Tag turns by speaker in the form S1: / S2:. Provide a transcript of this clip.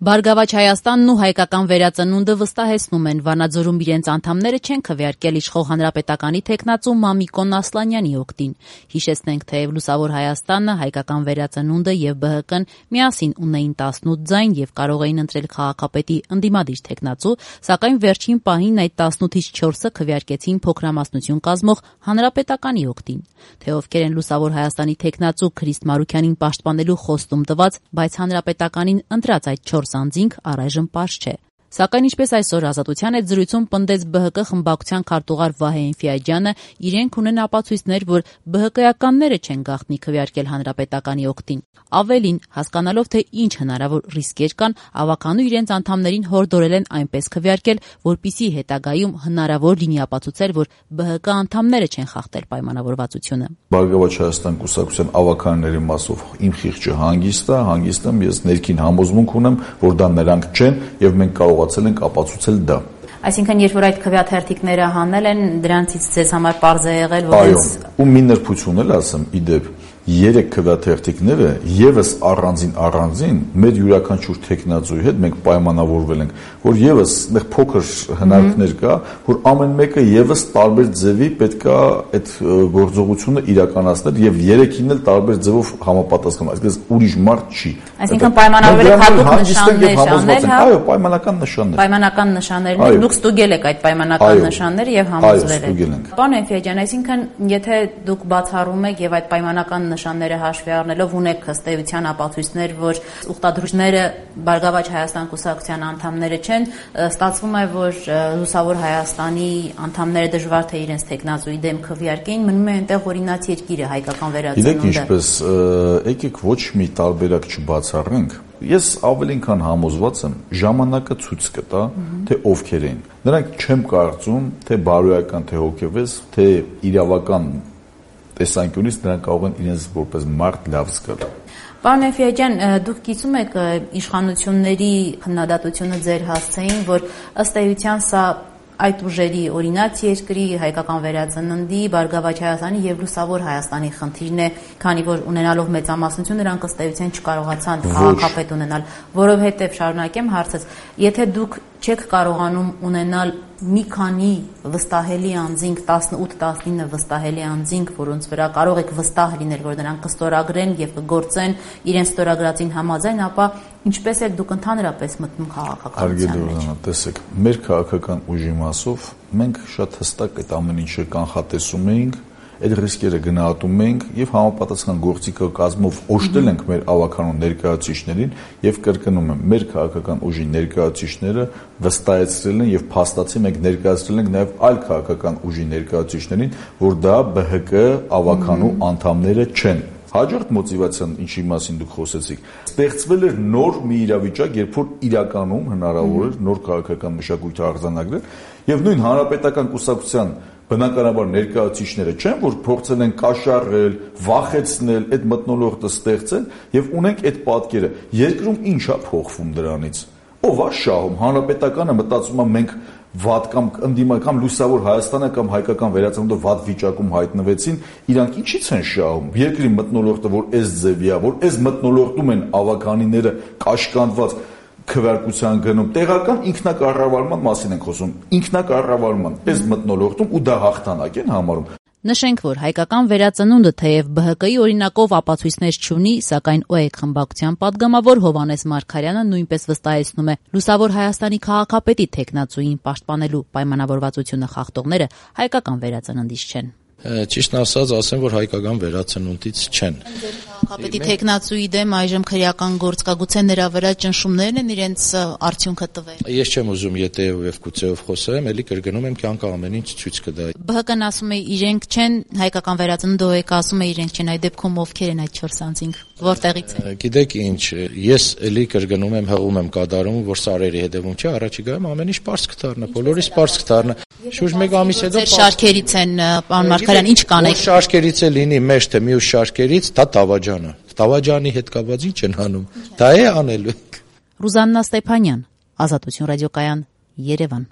S1: Բարգավաճ Հայաստանն ու հայկական վերածնունդը վստահեցնում են, Վանաձորում իրենց անդամները չեն քվեարկել իշխող հանրապետականի թեկնածու Մամիկոն Ասլանյանի օգտին։ Հիշեցնենք, թեև Լուսավոր Հայաստանը, հայկական վերածնունդը եւ ԲՀԿ-ն միասին ունեին 18 ձայն եւ կարող էին ընտրել քաղաքապետի ընդդիմադիր թեկնածու, սակայն վերջին պահին այդ 18-ից 4-ը քվեարկեցին փոքրամասնություն կազմող հանրապետականի օգտին։ Թե ովքեր են Լուսավոր Հայաստանի թեկնածու Քրիստ Մարուքյանին պաշտպանելու խոստում տված, բայց հանրապետականին ընտրած այդ 4 անձինք առայժմ պարզ չէ։ Սակայն ինչպես այսօր Ազատության հետ զրույցում պնդեց ԲՀԿ խմբակցության քարտուղար Վահե Էնֆիաջյանը, իրենք ունեն ապացույցներ, որ ԲՀԿ-ականները չեն գաղտնի քվեարկել հանրապետականի օգտին։ Ավելին, հասկանալով, թե ինչ հնարավոր ռիսկեր կան, ավականու իրենց անդամներին հորդորել են այնպես քվեարկել, որպիսի հետագայում հնարավոր լինի ապացուցել, որ ԲՀԿ անդամները չեն խախտել պայմանավորվածությունը։
S2: Բարգավաճ Հայաստան կուսակցության ավականների մասով իմ խիղճը հանգիստ եմ, ես ներքին համոզմունք ունեմ, որ դա նրանք չեն եւ մենք կարողացել ենք ապացուցել դա։
S1: Այսինքն, երբ որ այդ քվեաթերթիկները հանել են, դրանցից ձեզ համար պարզ է եղել, որ
S2: այո, ու մի նրբություն էլ ասեմ, իդեպ 3 քվեաթերթիկները եւս առանձին մեր յուրաքանչյուր թեկնածուի հետ մենք պայմանավորվել ենք, որ եւս այդտեղ փոքր հնարքներ կա, որ ամեն մեկը եւս տարբեր ձևի պետքա այդ գործողությունը իրականացնել եւ 3-ին էլ տարբեր ձևով համապատասխան, այսինքն ուրիշ մարդ չի։
S1: Այսինքն պայմանավորվել եք հատուկ նշաններ անել, հա։
S2: Այո, պայմանական նշաններ։
S1: Պայմանական նշաններն դուք ստուգել եք այդ պայմանական նշանները եւ համոզվել եք։ Պարոն Էնֆիաջյան, այսինքն եթե դուք բացառում եք եւ այդ պայմանական նշանները հաշվի առնելով ունեք ըստ էության ապացույցներ, որ ուխտադրուչները Բարգավաճ Հայաստան կուսակցության անդամները չեն, ստացվում է, որ Լուսավոր Հայաստանի անդամները դժվար թե իրենց թեկնածուի դեմ քվեարկեին, մնում է այնտեղ օրինաց երկիրը, հայկական վերածնունդը։
S2: Գիտեք ինչպես, եկեք ոչ մի տարբերակ չբացառենք։ Ես ավելին քան համոզված եմ, ժամանակը ցույց կտա, թե ովքեր են։ Նրանք չեմ կարծում, թե բարոյական, թե հոգեվես, թե իրավական տեսանկյունից նրանք կարող են իրենց որպես մարդ լավ զգալ։
S1: Պարոն Էնֆիաջյան, դուք գիտում եք իշխանությունների քննադատությունը ձեր հասցեին, որ ըստ էության սա այդ ուժերի օրինաց երկրի, հայկական վերածննդի, Բարգավաճ Հայաստանի եւ Լուսավոր Հայաստանի խնդիրն է, քանի որ ունենալով մեծամասնություն նրանք ըստ էության չկարողացան քաղաքապետ ունենալ, որովհետեւ շարունակեմ հարցս, եթե դուք չեք կարողանում ունենալ մի քանի վստահելի անձինք, 18-19 վստահելի անձինք, որոնց վրա կարող եք վստահ լինել, որ նրանք կստորագրեն եւ կգործեն իրենց ստորագրածին համաձայն, ապա ինչպես եք դուք ընդհանրապես մտնում քաղաքականության մեջ։
S2: Տեսեք, մեր քաղաքական ուժի մասով մենք շատ հստակ այդ ամեն ինչը կանխատեսում էինք, այդ ռիսկերը գնահատում ենք եւ համապատասխան գործիքը կազմով օժտել ենք մեր ավականու ներկայացուցիչներին եւ կրկնում եմ, մեր քաղաքական ուժի ներկայացուցիչները վստահեցրել են եւ փաստացի մենք ներկայացրել ենք նաեւ այլ քաղաքական ուժի ներկայացուցիչներին, որ դա ԲՀԿ ավականու անդամները չեն։ Հաջորդ մոտիվացիան, ինչի մասին դուք խոսեցիք, ստեղծվել էր նոր մի իրավիճակ, երբ որ իրականում հնարավոր էր նոր քաղաքական մշակույթ արձանագրել եւ նույն հանրապետական կուսակցության բնականաբար ներկայացուցիչները չեն, որ փորձել են կաշառել, վախեցնել, այդ մթնոլորտը ստեղծել եւ ունենք այդ պատկերը։ Երկրում ի՞նչ է փոխվում դրանից։ Ով է շահում, հանրապետականը մտածում է մենք վատ կամ ընդդիմական Լուսավոր Հայաստանը կամ հայկական վերածնունդը վատ վիճակում հայտնվեցին, իրանք ինչի՞ց են շահում։ Երկրի մթնոլորտը, որ այս ձևի է, որ այս մթնոլորտում են ավականիները կաշկանդված քվեարկության գնում, տեղական ինքնակառավարման մասին ենք խոսում, ինքնակառավարման այս մթնոլորտում ու դա հաղթանակ են համարում։
S1: Նշենք, որ հայկական վերածնունդը թեև ԲՀԿ-ի օրինակով ապացույցներ չունի, սակայն ՕԵԿ խմբակցության падգամավոր Հովհաննես Մարգարյանը նույնպես վստահեցնում է, Լուսավոր Հայաստանի քաղաքապետի թեկնածուին պաշտպանելու պայմանավորվածությունը խախտողները հայկական վերածննդից չեն։
S3: Ճիշտն ասած, ասեմ, որ հայկական վերածնունդից չեն։
S1: Քաղաքապետի թեկնածուի դեմ այժմ քրեական գործ կա, գուցե նրա վրա ճնշումներն են իրենց արդյունքը տվել։
S3: Ես չեմ ուզում ետեով եւ կուցեով խոսեմ, էլի կրկնում եմ, կյանքը ամեն ինչ ցույց կտա։
S1: ԲՀԿ-ն ասում է իրենք չեն, հայկական վերածնունդը ՕԵԿ-ը ասում է իրենք չեն, այդ դեպքում ովքեր են այդ 4 անձինք, որտեղից են։
S3: Գիտեք ինչ, ես էլի կրկնում եմ, հղում եմ կատարում, որ սարերի հետևում չէ, առաջիկայում ամեն ինչ պարզ կդառնա, բոլորիս պարզ կդառնա։ Շուրջ 1 ամիս հետո
S1: ձեր շարքերից են, պարոն Մարգարյան, ինչ կանեք։
S3: Շարքերից է լինի մեջ թե մյուս շարքերից, դա Տավաջանը։ Տավաջանի հետ կապված ինչ են անում։ Դա է անելու։
S1: Ռուզաննա Ստեփանյան, Ազատություն ռադիոկայան, Երևան։